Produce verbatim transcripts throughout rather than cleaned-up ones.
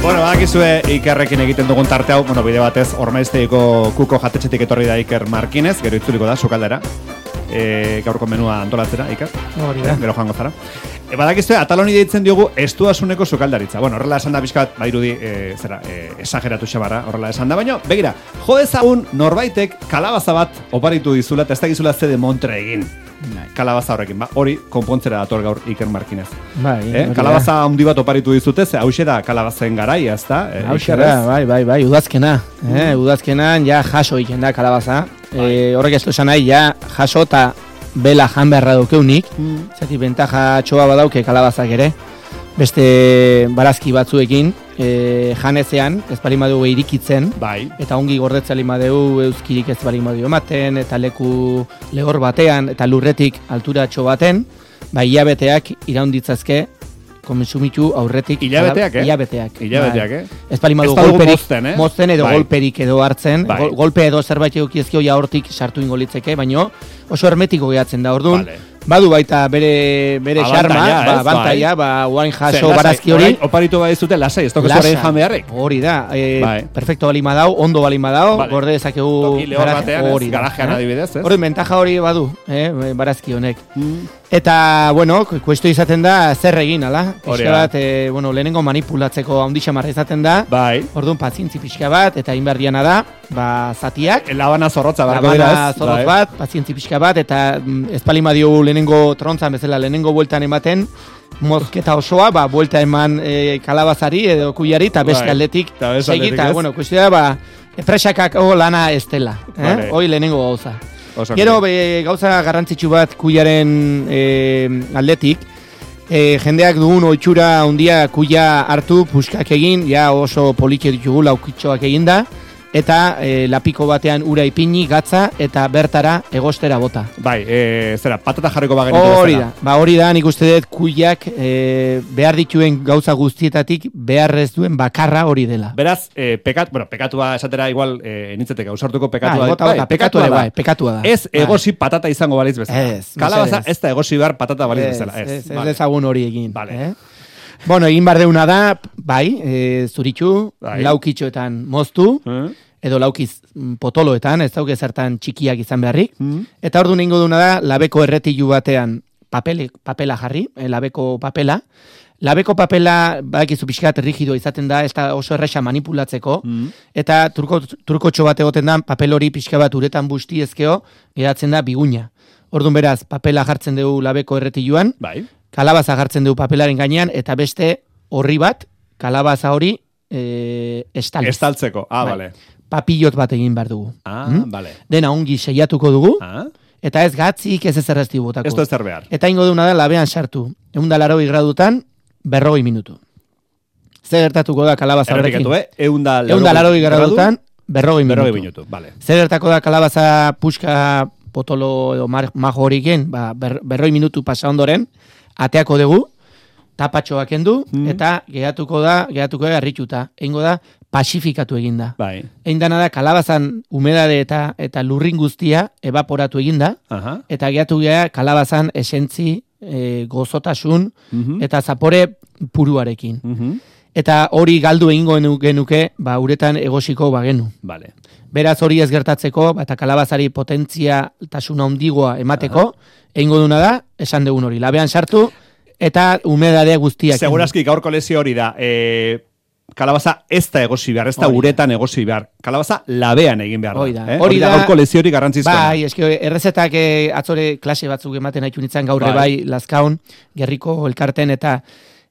Bueno, badakizue Ikerrekin egiten dugun tarte hau, bueno, bide batez, Ormaiztegiko kuko jatetxetik etorri da Iker Markinez, gero itzuliko da, sukaldera. E, gaurko menua antolatzera, Iker. Hori da. E, gero joango zara. E, badakizue, ataloni deitzen diogu estuasuneko sukaldaritza. Bueno, horrela esan da bizkat, bairudi, e, zera, e, esageratu xabarra, horrela esan da, baina, begira, jo dezagun norbaitek kalabaza bat oparitu dizula, eta ez da gizula zede montre egin. Kalabaza horrekin, ba, hori konpontzera dator gaur Iker Markinez. Bai, eh? Kalabaza handi bat oparitu dizute, ze hauxe da kalabazen garaia, ez da? Eh, hauxe da, bai, bai, bai, udazkena. Mm. Eh, udazkenan ja jaso egiten da kalabaza. Bai. Eh, horrek ez du esan nahi, ja jaso eta bela jan beharra daukeunik. Mm. Zati bentaja txoa badauke kalabazak ere. Beste barazki batzuekin, e, janezean, ez bali madugu irikitzen, bai. Eta ongi gordetzali madugu euskirik ez bali madugu ematen, eta leku lehor batean, eta lurretik alturatxo baten, ba, hilabeteak iraunditzazke, konsumitu aurretik. Hilabeteak, eh? Hilabeteak. Hilabeteak, eh? Ez bali madugu golperik, mozten, eh? mozten edo bai. Golperik edo hartzen, bai. Gol, golpe edo zerbait eukiezkio ja hortik sartu ingolitzeke, baino oso hermetiko gehatzen da, orduan. Vale. Badu baita bere bere xarma, ba, bantaia, ba, uain jaso barazki hori. Oparitu bai zute lasai, ez tokezu horrein jan beharrik. Hori da, e, bai. Perfecto balin badau, ondo balin badau, vale. Gorde dezakegu hori garajean adibidez, ez? Hori mentaja hori badu, eh, barazki honek. Mm. Eta, bueno, kuesto izaten da zer egin, ala? Pixka bat, e, bueno, lehenengo manipulatzeko handi xamarra izaten da. Bai. Orduan pazientzi pixka bat, eta inberdiana da, ba, zatiak. Labana zorrotza barko dira, ez? Labana zorrotz bat, pazientzi pixka bat, eta ez palima diogu lehenengo trontzan bezala, lehenengo bueltan ematen, mozketa osoa, ba, buelta eman e, kalabazari edo kuiari, eta beste aldetik segi, eta, bueno, kuestia da, ba, presakak o lana ez dela, eh? Vale. Hoi lehenengo gauza. Gero, be, gauza garrantzitsu bat kuiaren e, aldetik, e, jendeak dugun oitxura handia kuia hartu, puskak egin, ja oso politxe ditugu laukitxoak egin da, eta e, lapiko batean ura ipini, gatza, eta bertara egostera bota. Bai, e, zera, patata jarriko bagenitu hori da, ba, hori da, nik uste dut kuiak e, behar dituen gauza guztietatik beharrez duen bakarra hori dela. Beraz, e, pekat, bueno, pekatua esatera igual e, nintzetek gauzartuko pekatua. Bai, bota, bota, bai, pekatua da, bai, pekatua da. Ez egosi bai. Patata izango baliz bezala. Ez, kalabaza ez da egosi behar patata baliz bezala. Ez, ez, ez, ez ezagun hori egin. Vale. Eh? Bueno, egin bar deuna da, bai, e, zuritxu, bai. Laukitxoetan moztu, eh? Edo laukiz potoloetan, ez dauke zertan txikiak izan beharrik. Mm. Eta ordu ningo duna da, labeko erretilu batean papele, papela jarri, eh, labeko papela. Labeko papela, badakizu pixkat rigido izaten da, ez da oso erresa manipulatzeko. Mm. Eta turko, turkotxo bat egoten da, papel hori pixka bat uretan busti ezkeo, geratzen da biguña. Orduan beraz, papela jartzen dugu labeko erretiluan, bai. Kalabaza jartzen dugu papelaren gainean, eta beste horri bat, kalabaza hori e, estaliz. Estaltzeko, ah, bai. Bale. Papillot bat egin behar dugu. Ah, hmm? Bale. Dena ongi seiatuko dugu, ah? Eta ez gatzik ez ezerrezti botako. Ez du ezer behar. Eta ingo duna da labean sartu. Egun da laroi gradutan, berrogei minutu. Zer gertatuko da kalabaza horrekin? Erretikatu, eh? Egun da laroi gradutan, berrogei minutu. Berrogei minutu, bale. Zer gertako da kalabaza puska potolo edo majo horiken, ba, ber, berrogei minutu pasa ondoren, ateako dugu, tapatxoak endu, mm. eta gehatuko da, gehatuko da garrituta. Eingo da, pasifikatu eginda. Bai. Eindana da, kalabazan humedade eta eta lurrin guztia evaporatu eginda, uh-huh. Eta gehatu geha kalabazan esentzi, e, gozotasun, uh-huh. Eta zapore puruarekin. Uh-huh. Eta hori galdu egingo genuke, ba, uretan egosiko bagenu. Vale. Beraz hori ez gertatzeko, eta kalabazari potentzia tasuna ondigoa emateko, uh-huh. Egingo duna da, esan dugun hori, labean sartu, eta humedadea guztiak. Segurazki gaurko lesio hori da, e, kalabaza ez da egosi behar, ez da uretan egosi behar. Kalabaza labean egin behar da. Hori da, eh? hori da gaurko lesio hori garrantzizkoa. Bai, eske errezetak eh, atzore klase batzuk ematen haitu nintzen gaurre bai, bai Lazkaun, Gerriko elkarten, eta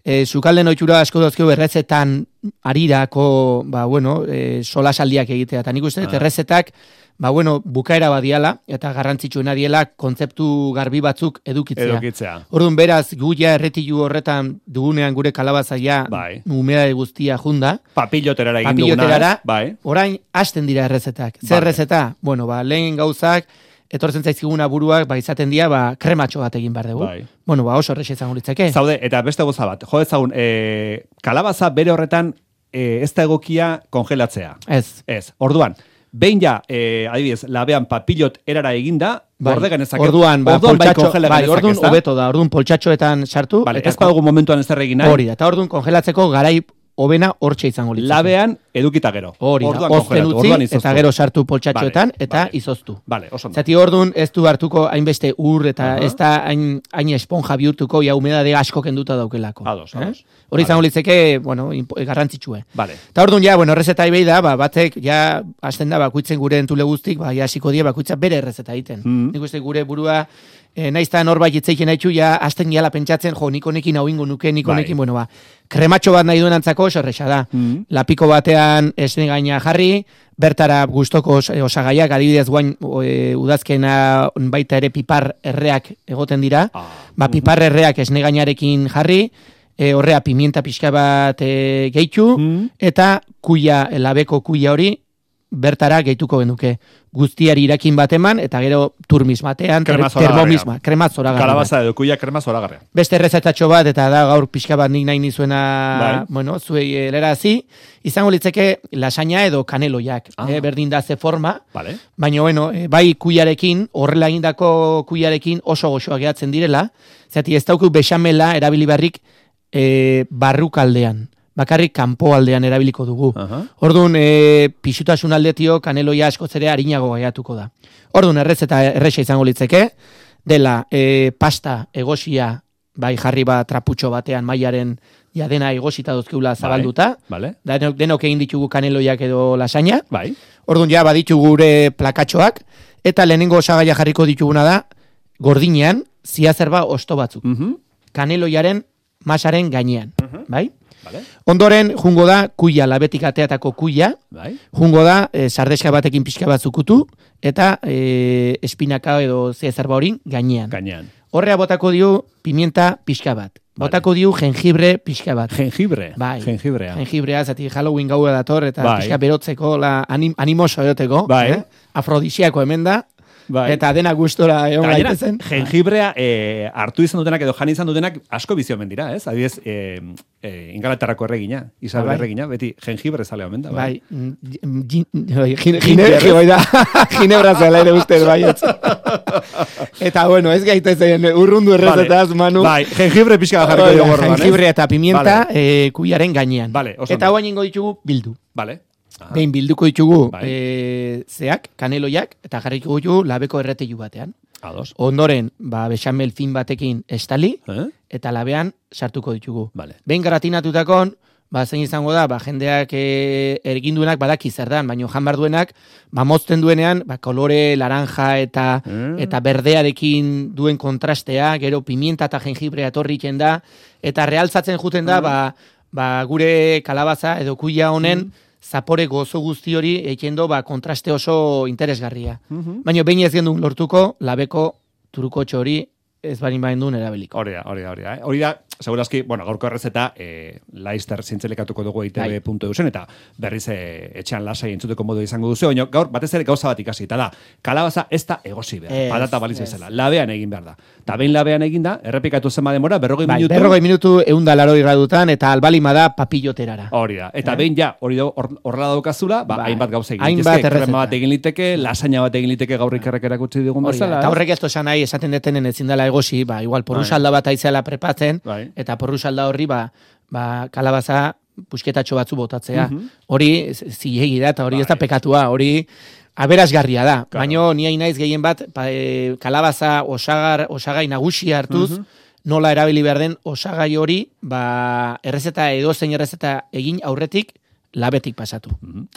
e, sukalden oitxura asko dozkio errezetan arirako, ba, bueno, e, solasaldiak egitea. Eta nik uste, ah. errezetak ba, bueno, bukaera badiala, eta garrantzitsuena diela, kontzeptu garbi batzuk edukitzea. Edukitzea. Orduan, beraz, gu ja erretilu horretan dugunean gure kalabazaia bai. Humedade guztia junda. Papiloterara egin duguna. Bai. Orain, hasten dira errezetak. Zer errezeta? Bueno, ba, lehen gauzak, etortzen zaizkiguna buruak, ba, izaten dira, ba, krematxo bat egin behar dugu. Bai. Bueno, ba, oso errexe izango litzake. Zaude, eta beste goza bat, jo ezagun, e, kalabaza bere horretan e, ez da egokia kongelatzea. Ez. Ez. Orduan, behin ja, eh, adibidez, labean papilot erara eginda, bai, borde genezake. Orduan, ba, orduan poltsatxo, bai, bai, orduan hobeto da, orduan poltsatxoetan sartu. Vale, eta ez badugu momentuan ez erregin nahi. Hori da, eta orduan kongelatzeko garai hobena hortxe izango litzake. Labean edukita gero. Hori da, ozten utzi, eta gero sartu poltsatxoetan, vale, eta vale. izoztu. Vale, oso ondo. Zati ordun ez du hartuko hainbeste ur, eta uh -huh. ez da hain, hain esponja bihurtuko, ja humedade asko kenduta daukelako. Ados, ados. Eh? Hori izango vale. litzeke, bueno, garrantzitsue. Vale. Eta ordun ja, bueno, errezeta ibei da, ba, batek, ja, hasten da, bakuitzen gure entule guztik, ba, ja, hasiko die, bakuitza bere errezeta egiten. Mm. Nik uste gure burua, E, naizta norbait itzeiken haitxu, ja, azten gala pentsatzen, jo, niko nekin hau ingo nuke, niko nekin, bueno, ba, krematxo bat nahi duen antzako, oso erresa da. Mm. Lapiko batean esne gaina jarri, bertara gustoko osagaiak, adibidez guain e, udazkena baita ere pipar erreak egoten dira, ah. ba, pipar erreak esne gainarekin jarri, e, horrea pimienta pixka bat e, gehitu, mm. eta kuia, labeko kuia hori, bertara gehituko genuke. Guztiari irakin bat eman, eta gero turmis batean, termomisma, krema zoragarria. Kalabaza edo kuia krema zoragarria. Beste errezetatxo bat, eta da gaur pixka bat nik nahi nizuena, bai. bueno, zuei helarazi, izango litzeke lasaina edo kaneloiak, ah. eh, berdin da ze forma, vale. baina bueno, eh, bai kuiarekin, horrela egindako kuiarekin oso goxoa gehatzen direla, zati ez dauku bexamela erabili barrik eh, barrukaldean. Bakarrik kanpo aldean erabiliko dugu. Uh-huh. Orduan, e, pixutasun aldetio kaneloia askotzere harinago gaiatuko da. Orduan, errez eta erresa izango litzeke, dela e, pasta egosia, bai jarri bat traputxo batean mailaren ja dena egosita dozkeula zabalduta, vale. Denok, denok egin ditugu kaneloiak edo lasaina, bai. Orduan, ja baditugu gure plakatxoak, eta lehenengo osagaia jarriko dituguna da, gordinean, ziazerba osto batzuk. Uh-huh. Kaneloiaren masaren gainean, uh-huh. bai? Vale. Ondoren, jungo da, kuia, labetik ateatako kuia, bai. Jungo da, e, sardeska batekin pixka bat zukutu, eta e, espinaka edo zezerba horin gainean. Gainean. Horrea botako dio pimienta pixka bat. Botako vale. Diu jengibre pixka bat. Jengibre? Bai. Jengibrea. Jengibrea, zati Halloween gaua dator, eta bai. Pixka berotzeko, la, anim, animoso eroteko. Bai. Eh? Afrodisiako hemen da. Bai. Eta dena gustora egon gaitezen. Jengibrea e, hartu izan dutenak edo jan izan dutenak asko bizio omen dira, ez? Adibidez, e, e, Ingalaterrako erregina, Isabel bai. Erregina, beti jengibre zale omen da. Bai, ginebra zela ere ustez, bai. Eta bueno, ez gaitezen urrundu errezetaz, Manu. Bai, jengibre pixka jarriko dugu gorroan, ez? Jengibre eta pimienta vale. e, kuiaren gainean. Vale, eta guain ingo ditugu bildu. Vale. Aha. Behin bilduko ditugu bai. e, zeak, kaneloiak, eta jarriko ditugu labeko erreteilu batean. Ados. Ondoren, ba, bexamel fin batekin estali, eh? Eta labean sartuko ditugu. Vale. Behin garatinatutakon, ba, zein izango da, ba, jendeak e, erginduenak badaki zer dan, baina jan duenak, ba, mozten duenean, ba, kolore laranja eta mm. eta berdearekin duen kontrastea, gero pimienta eta jengibrea torriken da, eta realtzatzen juten da, mm. ba, ba, gure kalabaza edo kuia honen, mm. zapore gozo guzti hori eikendo ba, kontraste oso interesgarria. Uh-huh. Baina behin ez gendun lortuko, labeko turukotxo hori ez barin bain duen erabiliko. Hori da, hori da, hori da. Eh? Hori da, segurazki, bueno, gaurko errezeta e, Laizter zintzelikatuko dugu E I T B puntu E U zen, eta berriz e, etxean lasai entzuteko modu izango duzu, baina gaur batez ere gauza bat ikasi, eta da, kalabaza ez da egosi behar, es, patata baliz bezala, labean egin behar da. Eta behin labean egin da, errepikatu zenba demora, berrogei bai, minutu. Berrogei minutu eunda laroi gradutan, eta albalima da papilloterara. Hori da, eta eh? behin ja, hori da, horrela daukazula, ba, bai. hainbat gauza egin liteke, krema bat egin liteke, lasaina bat egin liteke gaur ikerrek erakutsi digun bezala. Eta horrek ez tozan nahi, esaten detenen ezin dela egosi, ba, igual porrusalda bat aizela prepatzen, bai. Eta porrusalda horri, ba, ba, kalabaza pusketatxo batzu botatzea. Uh-huh. Hori zilegi da, eta hori bai. Ez da pekatua, hori aberasgarria da. Claro. Baina ni hain naiz gehien bat, pa, e, kalabaza osagar, osagai nagusi hartuz, uh-huh. nola erabili behar den osagai hori, ba, errezeta edozein errezeta egin aurretik, labetik pasatu. Uh-huh.